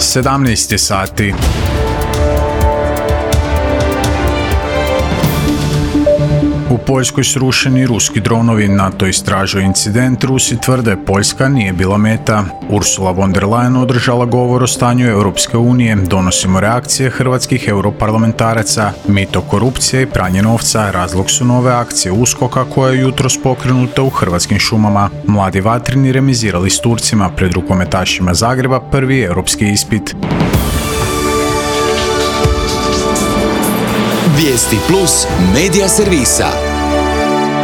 17 sati. U Poljskoj srušeni ruski dronovi, NATO istražuje incident, Rusi tvrde Poljska nije bila meta. Ursula von der Leyen održala govor o stanju Europske unije, donosimo reakcije hrvatskih europarlamentaraca, mito, korupcija i pranje novca, razlog su nove akcije USKOK-a koja je jutros pokrenuta u hrvatskim šumama. Mladi vatreni remizirali s Turcima pred rukometašima Zagreba prvi europski ispit. Vijesti plus medija servisa.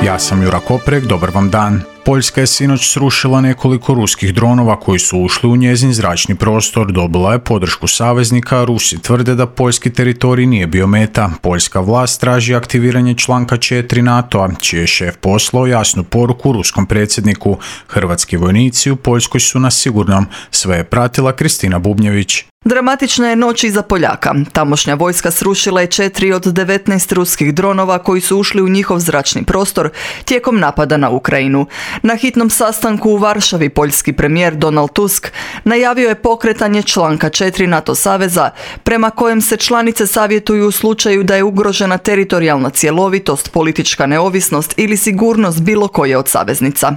Ja sam Jura Koprek, dobar vam dan. Poljska je sinoć srušila nekoliko ruskih dronova koji su ušli u njezin zračni prostor, dobila je podršku saveznika, Rusi tvrde da poljski teritorij nije bio meta. Poljska vlast traži aktiviranje članka 4 NATO-a, čiji je šef poslao jasnu poruku ruskom predsjedniku. Hrvatski vojnici u Poljskoj su na sigurnom, sve je pratila Kristina Bubnjević. Dramatična je noć iza Poljaka. Tamošnja vojska srušila je 4 od 19 ruskih dronova koji su ušli u njihov zračni prostor tijekom napada na Ukrajinu. Na hitnom sastanku u Varšavi poljski premijer Donald Tusk najavio je pokretanje članka 4 NATO saveza prema kojem se članice savjetuju u slučaju da je ugrožena teritorijalna cjelovitost, politička neovisnost ili sigurnost bilo koje od saveznica.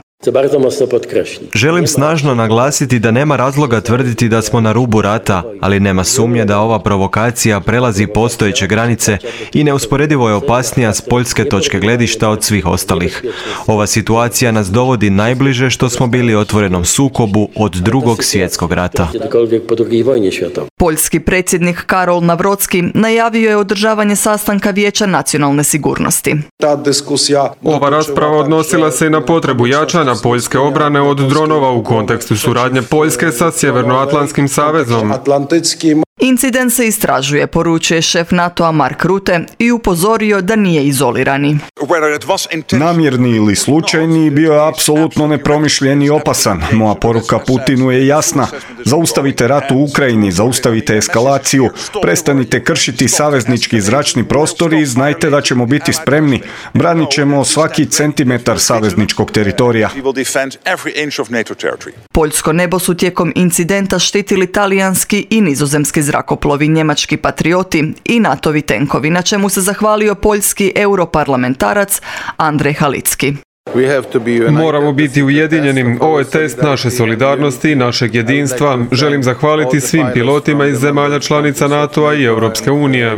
Želim snažno naglasiti da nema razloga tvrditi da smo na rubu rata, ali nema sumnje da ova provokacija prelazi postojeće granice i neusporedivo je opasnija s poljske točke gledišta od svih ostalih. Ova situacija nas dovodi najbliže što smo bili otvorenom sukobu od Drugog svjetskog rata. Poljski predsjednik Karol Nawrocki najavio je održavanje sastanka Vijeća nacionalne sigurnosti. Ova rasprava odnosila se i na potrebu jačanja poljske obrane od dronova u kontekstu suradnje Poljske sa Sjevernoatlantskim savezom. Incident se istražuje, poručuje šef NATO-a Mark Rutte i upozorio da nije izolirani. Namjerni ili slučajni bio je apsolutno nepromišljen i opasan. Moja poruka Putinu je jasna. Zaustavite rat u Ukrajini, zaustavite eskalaciju, prestanite kršiti saveznički zračni prostor i znajte da ćemo biti spremni. Branit ćemo svaki centimetar savezničkog teritorija. Poljsko nebo su tijekom incidenta štitili talijanski i nizozemski zrakoplovi, njemački patrioti i NATO-vi tenkovi, na čemu se zahvalio poljski europarlamentarac Andrej Halicki. Moramo biti ujedinjeni. Ovo je test naše solidarnosti i našeg jedinstva. Želim zahvaliti svim pilotima iz zemalja članica NATO-a i Europske unije.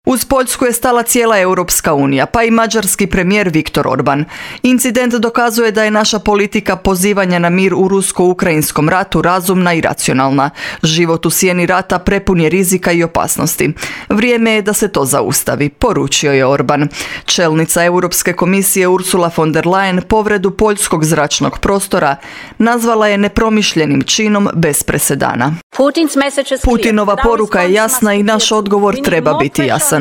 Uz Poljsku je stala cijela Europska unija, pa i mađarski premijer Viktor Orban. Incident dokazuje da je naša politika pozivanja na mir u rusko-ukrajinskom ratu razumna i racionalna. Život u sjeni rata prepun je rizika i opasnosti. Vrijeme je da se to zaustavi, poručio je Orban. Čelnica Europske komisije Ursula von der Leyen povredu poljskog zračnog prostora nazvala je nepromišljenim činom bez presedana. Putinova poruka je jasna i naš odgovor treba biti jasan.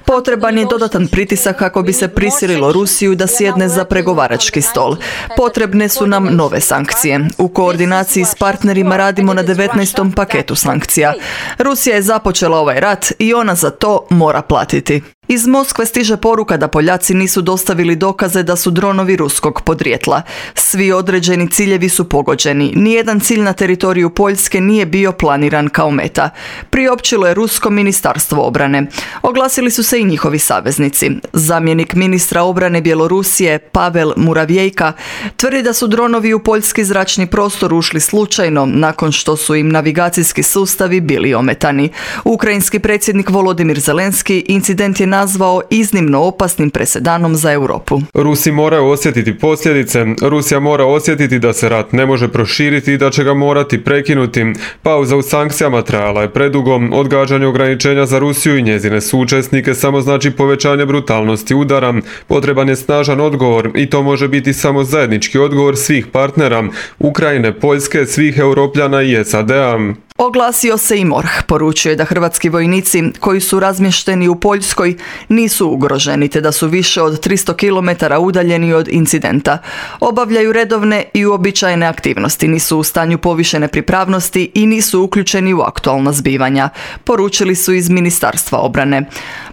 Potreban je dodatan pritisak kako bi se prisililo Rusiju da sjedne za pregovarački stol. Potrebne su nam nove sankcije. U koordinaciji s partnerima radimo na 19. paketu sankcija. Rusija je započela ovaj rat i ona za to mora platiti. Iz Moskve stiže poruka da Poljaci nisu dostavili dokaze da su dronovi ruskog podrijetla. Svi određeni ciljevi su pogođeni. Nijedan cilj na teritoriju Poljske nije bio planiran kao meta. Priopćilo je Rusko ministarstvo obrane. Oglasili su se i njihovi saveznici. Zamjenik ministra obrane Bjelorusije Pavel Muravjejka tvrdi da su dronovi u poljski zračni prostor ušli slučajno nakon što su im navigacijski sustavi bili ometani. Ukrajinski predsjednik Volodimir Zelenski incident je nazvao iznimno opasnim presedanom za Europu. Rusi moraju osjetiti posljedice. Rusija mora osjetiti da se rat ne može proširiti i da će ga morati prekinuti. Pauza u sankcijama trajala je predugo. Odgađanje ograničenja za Rusiju i njezine suučesnike samo znači povećanje brutalnosti udara. Potreban je snažan odgovor i to može biti samo zajednički odgovor svih partnera, Ukrajine, Poljske, svih Europljana i SAD-a. Oglasio se i MORH, poručuje da hrvatski vojnici koji su razmješteni u Poljskoj nisu ugroženi te da su više od 300 km udaljeni od incidenta. Obavljaju redovne i uobičajene aktivnosti, nisu u stanju povišene pripravnosti i nisu uključeni u aktualna zbivanja, poručili su iz Ministarstva obrane.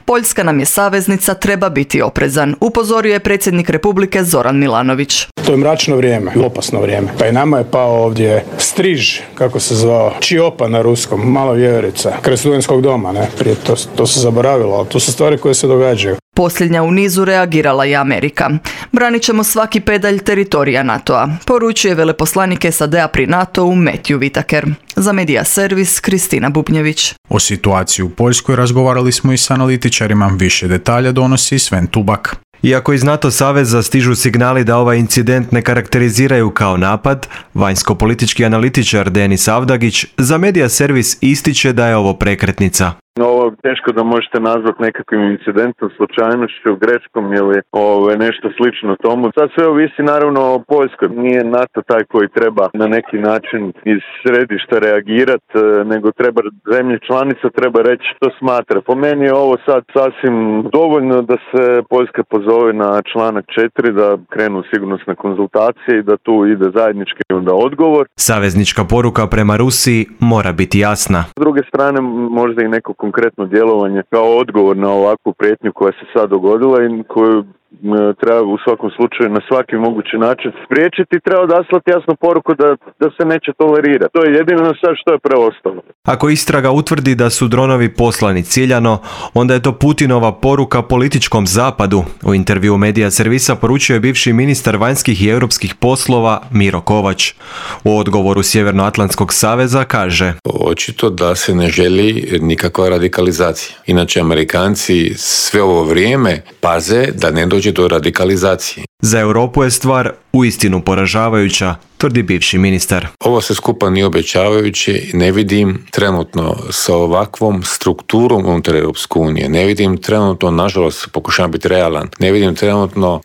Poljska nam je saveznica, treba biti oprezan, upozorio je predsjednik Republike Zoran Milanović. To je mračno vrijeme, opasno vrijeme. Pa i nama je pao ovdje striž, kako se zvao, čiopa na ruskom, malo vjeverica, kraj studentskog doma, ne? Prije to se zaboravilo, ali to su stvari koje se događaju. Posljednja u nizu reagirala je Amerika. Branit ćemo svaki pedalj teritorija NATO-a, poručuje veleposlanik SAD-a pri NATO-u Matthew Whitaker. Za Media Servis, Kristina Bubnjević. O situaciji u Poljskoj razgovarali smo i s analitičarima. Više detalja donosi Sven Tubak. Iako iz NATO saveza stižu signali da ovaj incident ne karakteriziraju kao napad, vanjsko-politički analitičar Denis Avdagić za Media Servis ističe da je ovo prekretnica. Ovo teško da možete nazvati nekakvim incidentom, slučajnošću, greškom ili nešto slično tomu. Sad sve ovisi naravno o Poljskoj. Nije NATO taj koji treba na neki način iz središta reagirati, nego treba zemlje članica treba reći što smatra. Po meni je ovo sad sasvim dovoljno da se Poljska pozove na članak 4, da krenu sigurnosne konzultacije i da tu ide zajednički onda odgovor. Saveznička poruka prema Rusiji mora biti jasna. S druge strane možda i neko konkretno djelovanje kao odgovor na ovakvu prijetnju koja se sad dogodila i koju treba u svakom slučaju na svaki mogući način spriječiti, treba odaslati jasnu poruku da se neće tolerirati. To je jedino sad što je preostalo. Ako istraga utvrdi da su dronovi poslani ciljano, onda je to Putinova poruka političkom zapadu. U intervju Media Servisa poručio je bivši ministar vanjskih i europskih poslova Miro Kovač. U odgovoru Sjevernoatlantskog saveza kaže: očito da se ne želi nikakva radikalizacija. Inače, Amerikanci sve ovo vrijeme paze da ne dođe do radikalizacije. Za Europu je stvar uistinu poražavajuća, tvrdi bivši ministar. Ovo se skupa nije obećavajuće i ne vidim trenutno sa ovakvom strukturom unutar Europske unije. Ne vidim trenutno, nažalost, pokušavam biti realan,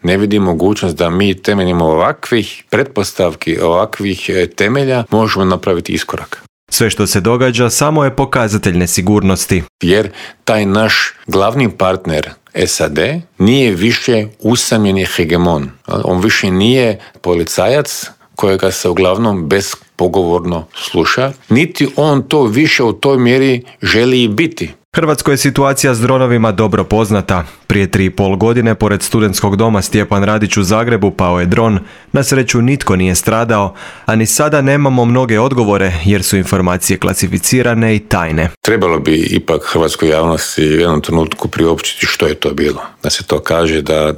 ne vidim mogućnost da mi temeljem ovakvih pretpostavki, ovakvih temelja možemo napraviti iskorak. Sve što se događa samo je pokazatelj nesigurnosti. Jer taj naš glavni partner SAD nije više usamljeni hegemon. On više nije policajac kojega se uglavnom bespogovorno sluša, niti on to više u toj mjeri želi i biti. Hrvatskoj je situacija s dronovima dobro poznata. Prije 3,5 godine, pored studentskog doma Stjepan Radić u Zagrebu, pao je dron. Na sreću nitko nije stradao, a ni sada nemamo mnoge odgovore jer su informacije klasificirane i tajne. Trebalo bi ipak hrvatskoj javnosti u jednom trenutku priopćiti što je to bilo. Da se to kaže, da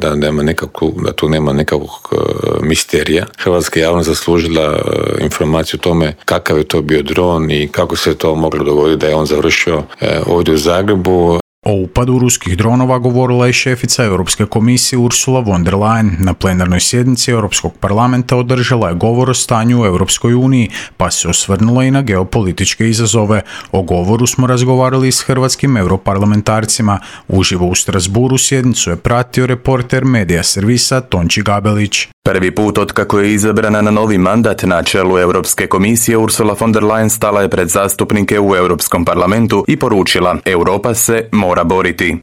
tu nema nekakvog misterija. Hrvatska javnost zaslužila informaciju o tome kakav je to bio dron i kako se to moglo dogoditi da je on završio ovdje u Zagrebu. O upadu ruskih dronova govorila je šefica Europske komisije Ursula von der Leyen. Na plenarnoj sjednici Europskog parlamenta održala je govor o stanju u Europskoj uniji, pa se osvrnula i na geopolitičke izazove. O govoru smo razgovarali s hrvatskim europarlamentarcima. Uživo u Strasburu sjednicu je pratio reporter Media Servisa Tonči Gabelić. Prvi put otkako je izabrana na novi mandat na čelu Europske komisije, Ursula von der Leyen stala je pred zastupnike u Europskom parlamentu i poručila: Europa se mora boriti.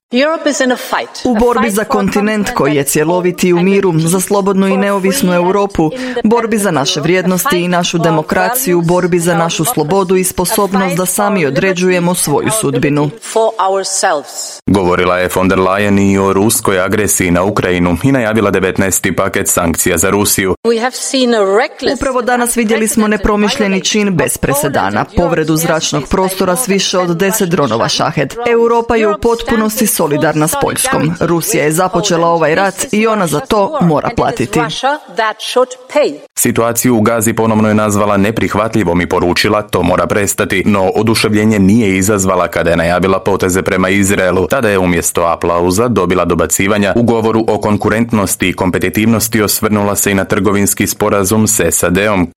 U borbi za kontinent koji je cjeloviti u miru, za slobodnu i neovisnu Europu, borbi za naše vrijednosti i našu demokraciju, borbi za našu slobodu i sposobnost da sami određujemo svoju sudbinu. Govorila je von der Leyen i o ruskoj agresiji na Ukrajinu i najavila 19. paket sankcija za Rusiju. Upravo danas vidjeli smo nepromišljeni čin bez presedana, povredu zračnog prostora s više od 10 dronova Shahed. Europa je u potpunosti solidarna s Poljskom. Rusija je započela ovaj rat i ona za to mora platiti. Situaciju u Gazi ponovno je nazvala neprihvatljivom i poručila: to mora prestati, no oduševljenje nije izazvala kada je najavila poteze prema Izraelu. Tada je umjesto aplauza dobila dobacivanja. U govoru o konkurentnosti i kompetitivnosti osvrnula se i na trgovinski sporazum s SAD-om.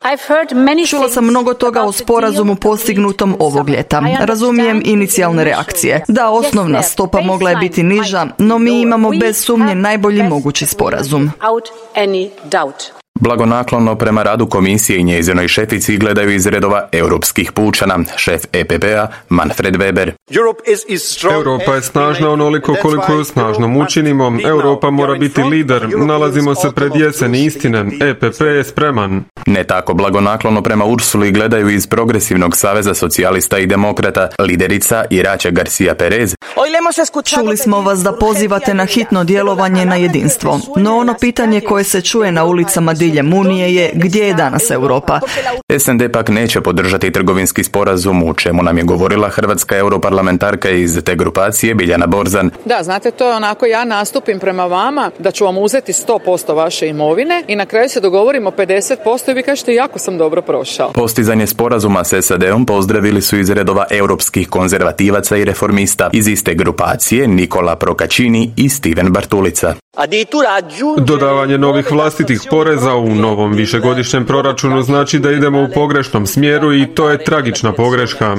Čula sam mnogo toga o sporazumu postignutom ovog ljeta. Razumijem inicijalne reakcije. Da, osnovna stopa mogla je biti niža, no mi imamo bez sumnje najbolji mogući sporazum. Blagonaklono prema radu komisije i njezinoj šefici gledaju iz redova europskih pučana, šef EPP-a Manfred Weber. Europa je snažna onoliko koliko ju snažnom učinimo. Europa mora biti lider. Nalazimo se pred jeseni istine. EPP je spreman. Ne tako blagonaklono prema Ursuli gledaju iz Progresivnog saveza socijalista i demokrata liderica Irače Garcia Perez. Čuli smo vas da pozivate na hitno djelovanje na jedinstvo, no ono pitanje koje se čuje na ulicama diljem Unije je gdje je danas Europa? SND pak neće podržati trgovinski sporazum, u čemu nam je govorila hrvatska europarlamentarka iz te grupacije Biljana Borzan. Da, znate, to je onako, ja nastupim prema vama da ću vam uzeti 100% vaše imovine i na kraju se dogovorimo 50% i vi kažete jako sam dobro prošao. Postizanje sporazuma s SAD-om pozdravili su iz redova europskih konzervativaca i reformista. Iz iste grupacije Nikola Procaccini i Steven Bartulica. Dodavanje novih vlastitih poreza u novom višegodišnjem proračunu znači da idemo u pogrešnom smjeru i to je tragična pogreška.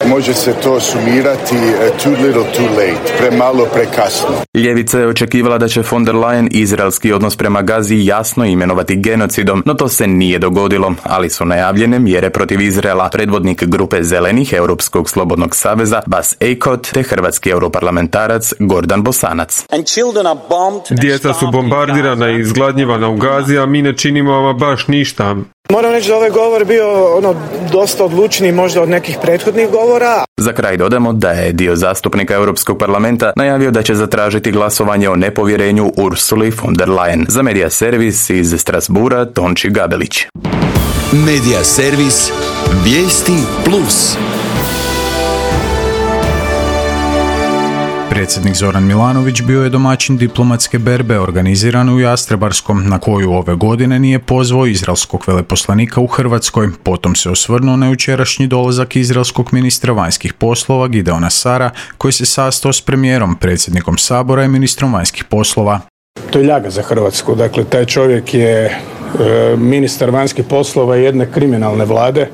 Može se to sumirati too little too late, premalo prekasno. Ljevica je očekivala da će von der Leyen izraelski odnos prema Gazi jasno imenovati genocidom, no to se nije dogodilo, ali su najavljene mjere protiv Izraela. Predvodnik grupe zelenih Europskog slobodnog saveza Bas Eickhout te hrvatski europarlamentarac Gordan Bosanac. Djeca su bombardirana i izgladnjivana u Gazi, a mi ne činimo ama baš ništa. Moram reći da ovaj govor bio dosta odlučniji možda od nekih prethodnih govora. Za kraj dodamo da je dio zastupnika Europskog parlamenta najavio da će zatražiti glasovanje o nepovjerenju Ursuli von der Leyen. Za Media Servis iz Strasbura Tonči Gabelić. Media Servis, vijesti plus. Predsjednik Zoran Milanović bio je domaćin diplomatske berbe organizirane u Jastrebarskom, na koju ove godine nije pozvao izraelskog veleposlanika u Hrvatskoj. Potom se osvrnuo na jučerašnji dolazak izraelskog ministra vanjskih poslova Gideona Sara, koji se sastao s premijerom, predsjednikom Sabora i ministrom vanjskih poslova. To je ljaga za Hrvatsku. Dakle, taj čovjek je ministar vanjskih poslova jedne kriminalne vlade.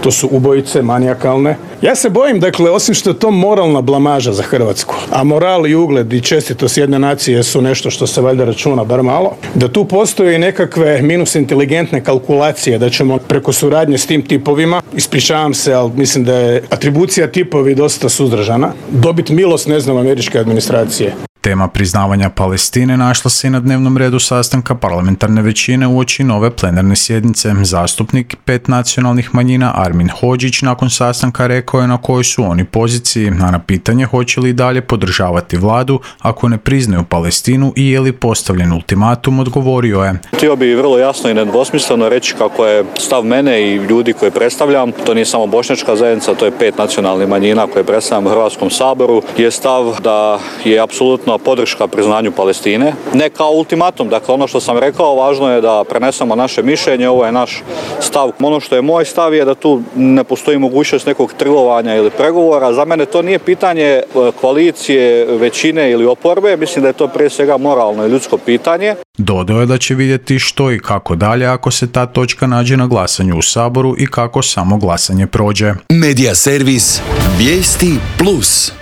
To su ubojice manijakalne. Ja se bojim, dakle, osim što je to moralna blamaža za Hrvatsku, a moral i ugled i čestitost jedne nacije su nešto što se valjda računa bar malo, da tu postoje i nekakve minus inteligentne kalkulacije, da ćemo preko suradnje s tim tipovima, ispričavam se, ali mislim da je atribucija tipovi dosta suzdržana, dobiti milost, ne znam, američke administracije. Tema priznavanja Palestine našla se i na dnevnom redu sastanka parlamentarne većine uoči nove plenarne sjednice. Zastupnik 5 nacionalnih manjina Armin Hodžić nakon sastanka rekao je na kojoj su oni poziciji, a na pitanje hoće li dalje podržavati vladu ako ne priznaju Palestinu i je li postavljen ultimatum, odgovorio je. Htio bi vrlo jasno i nedvosmisleno reći kako je stav mene i ljudi koje predstavljam, to nije samo bošnjačka zajednica, to je 5 nacionalnih manjina koje predstavljam u Hrvatskom saboru, je stav da je apsolutno podrška priznanju Palestine. Ne kao ultimatum, dakle ono što sam rekao, važno je da prenesemo naše mišljenje, ovo je naš stav. Ono što je moj stav je da tu ne postoji mogućnost nekog trgovanja ili pregovora. Za mene to nije pitanje koalicije, većine ili oporbe, mislim da je to prije svega moralno i ljudsko pitanje. Dodao je da će vidjeti što i kako dalje ako se ta točka nađe na glasanju u Saboru i kako samo glasanje prođe. Media Servis, vijesti plus.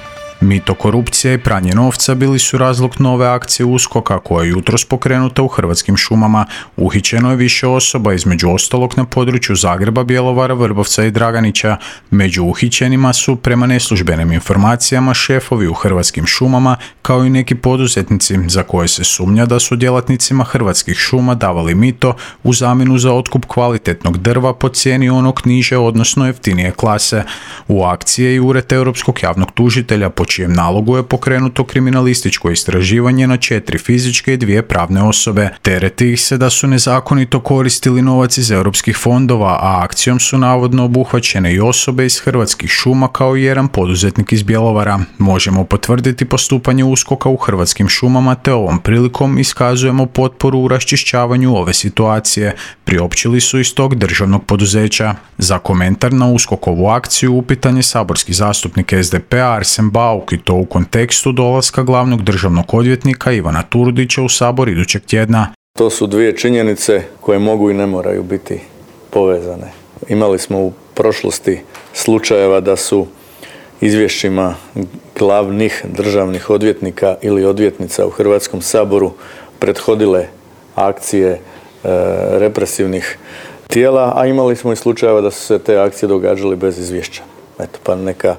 Mito, korupcija i pranje novca bili su razlog nove akcije USKOK-a koja je jutros pokrenuta u Hrvatskim šumama. Uhićeno je više osoba, između ostalog na području Zagreba, Bjelovara, Vrbovca i Draganića. Među uhićenima su, prema neslužbenim informacijama, šefovi u Hrvatskim šumama, kao i neki poduzetnici za koje se sumnja da su djelatnicima Hrvatskih šuma davali mito u zamjenu za otkup kvalitetnog drva po cijeni onog niže, odnosno jeftinije klase. U akciji je i Ured Europskog javnog tužitelja, po čijem nalogu je pokrenuto kriminalističko istraživanje na 4 fizičke i 2 pravne osobe. Tereti ih se da su nezakonito koristili novac iz europskih fondova, a akcijom su navodno obuhvaćene i osobe iz Hrvatskih šuma kao i jedan poduzetnik iz Bjelovara. Možemo potvrditi postupanje USKOK-a u Hrvatskim šumama te ovom prilikom iskazujemo potporu u raščišćavanju ove situacije, priopćili su iz tog državnog poduzeća. Za komentar na USKOK-ovu akciju upitan je saborski zastupnik SDP-a Arsen Bauk, i to u kontekstu dolaska glavnog državnog odvjetnika Ivana Turudića u Sabor idućeg tjedna. To su dvije činjenice koje mogu i ne moraju biti povezane. Imali smo u prošlosti slučajeva da su izvješćima glavnih državnih odvjetnika ili odvjetnica u Hrvatskom saboru prethodile akcije represivnih tijela, a imali smo i slučajeva da su se te akcije događale bez izvješća. Eto, pa neka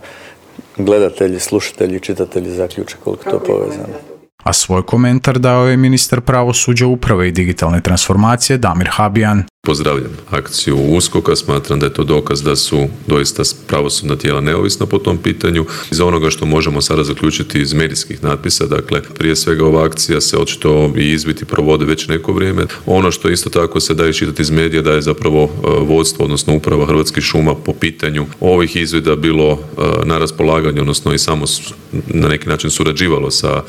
gledatelji, slušatelji, čitatelji zaključe koliko to povezano. A svoj komentar dao je ministar pravosuđa, uprave i digitalne transformacije Damir Habijan. Pozdravljam akciju USKOK-a, smatram da je to dokaz da su doista pravosudna tijela neovisna po tom pitanju. Iz onoga što možemo sada zaključiti iz medijskih natpisa, dakle prije svega ova akcija se očito i izviti provode već neko vrijeme. Ono što isto tako se da iščitati iz medija da je zapravo vodstvo, odnosno uprava Hrvatskih šuma po pitanju ovih izvida bilo na raspolaganju, odnosno i samo na neki način surađivalo sa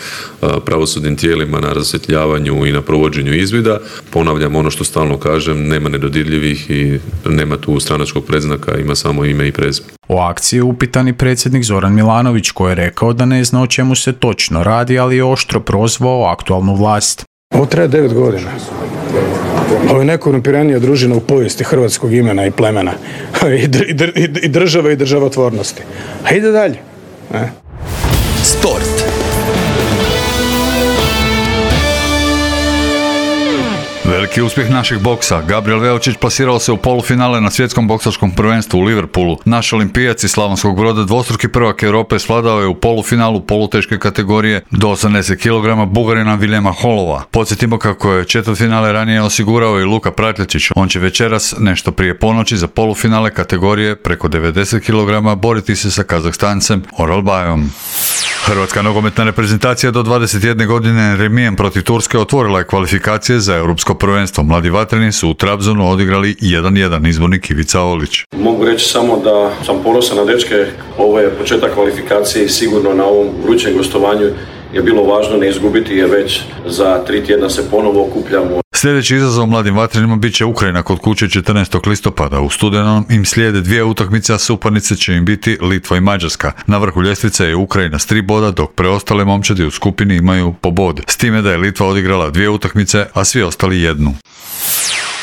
pravosudnim tijelima na rasvjetljavanju i na provođenju izvida. Ponavljam ono što stalno kažem, nema nedodirljivih i nema tu stranačkog predznaka, ima samo ime i prezime. O akciji je upitan i predsjednik Zoran Milanović, koji je rekao da ne zna o čemu se točno radi, ali je oštro prozvao aktualnu vlast. Ovo traje 9 godina. Ovo je najkorumpiranija družina u povijesti hrvatskog imena i plemena. I države i državotvornosti. A ide dalje. Sport. Veliki uspjeh našeg boksa. Gabriel Veočić plasirao se u polufinale na svjetskom boksačkom prvenstvu u Liverpoolu. Naš olimpijac iz Slavonskog Broda, dvostruki prvak Europe, svladao je u polufinalu poluteške kategorije do 80 kg Bugarina Viljema Holova. Podsjetimo kako je četvrtfinale ranije osigurao i Luka Pratljačić. On će večeras, nešto prije ponoći, za polufinale kategorije preko 90 kg boriti se sa Kazahstancem Oralbayom. Hrvatska nogometna reprezentacija do 21 godine remijem protiv Turske otvorila je kvalifikacije za europsko prvenstvo. Mladi vatreni su u Trabzonu odigrali 1-1, izbornik Ivica Olić. Mogu reći samo da sam ponosan na dečke. Ovo je početak kvalifikacije i sigurno na ovom vrućem gostovanju je bilo važno ne izgubiti, jer već za 3 tjedna se ponovo okupljamo. Sljedeći izazov mladim vatrenima bit će Ukrajina kod kuće 14. listopada. U studenom im slijede 2 utakmice, a suparnice će im biti Litva i Mađarska. Na vrhu ljestvice je Ukrajina s 3 boda, dok preostale momčadi u skupini imaju po bod. S time da je Litva odigrala 2 utakmice, a svi ostali 1.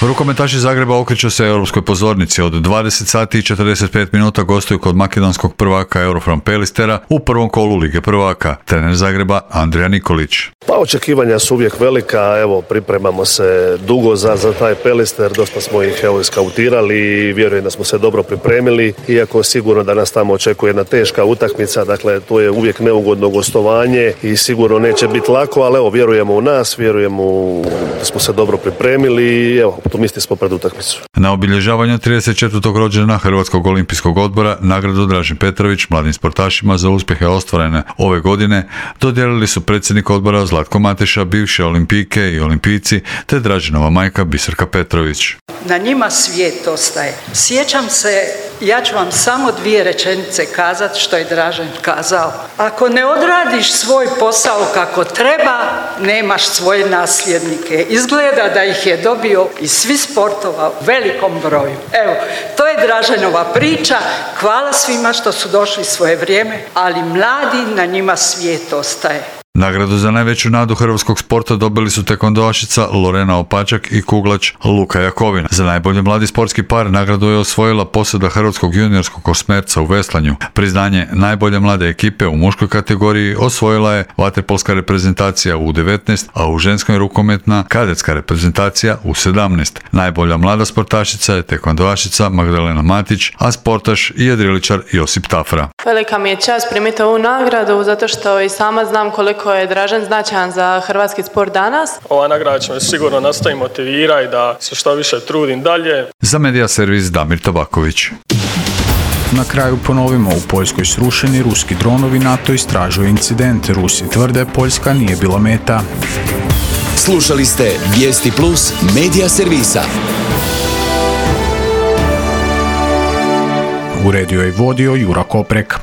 Rukometaši Zagreba okreću se europskoj pozornici. Od 20 sati i 45 minuta gostuju kod makedonskog prvaka Eurofram Pelistera u prvom kolu Lige prvaka. Trener Zagreba Andrija Nikolić. Pa očekivanja su uvijek velika, evo pripremamo se dugo za taj Pelister, dosta smo ih iskautirali i vjerujem da smo se dobro pripremili, iako sigurno da nas tamo očekuje jedna teška utakmica, dakle to je uvijek neugodno gostovanje i sigurno neće biti lako, ali evo vjerujemo u nas, vjerujemo da smo se dobro pripremili i evo optimisti smo pred utakmicu. Na obilježavanju 34. rođendana Hrvatskog olimpijskog odbora nagradu Dražen Petrović mladim sportašima za uspjehe ostvarene ove godine dodijelili su predsjednik odbora Zlatko Mateša, bivše olimpijke i olimpijci, te Draženova majka Biserka Petrović. Na njima svijet ostaje. Sjećam se, ja ću vam samo 2 rečenice kazati što je Dražen kazao. Ako ne odradiš svoj posao kako treba, nemaš svoje nasljednike. Izgleda da ih je dobio iz svih sportova u velikom broju. Evo, to je Draženova priča. Hvala svima što su došli svoje vrijeme, ali mladi, na njima svijet ostaje. Nagradu za najveću nadu hrvatskog sporta dobili su tekondoašica Lorena Opačak i kuglač Luka Jakovina. Za najbolji mladi sportski par nagradu je osvojila posada hrvatskog juniorskog osmerca u veslanju. Priznanje najbolje mlade ekipe u muškoj kategoriji osvojila je vaterpolska reprezentacija u 19, a u ženskoj rukometna kadetska reprezentacija u 17. Najbolja mlada sportašica je tekondoašica Magdalena Matić, a sportaš i jedriličar Josip Tafra. Velika mi je čast primiti ovu nagradu zato što i sama znam koliko je Dražen značajan za hrvatski sport danas. Ova nagrada će me sigurno nastaviti motivirati da se što više trudim dalje. Za Medija servis Damir Tabaković. Na kraju ponovimo, u Poljskoj srušeni ruski dronovi, NATO istražuje incident. Rusi tvrde Poljska nije bila meta. Slušali ste Vijesti Plus Medija servisa. Uredio i vodio Jura Koprek.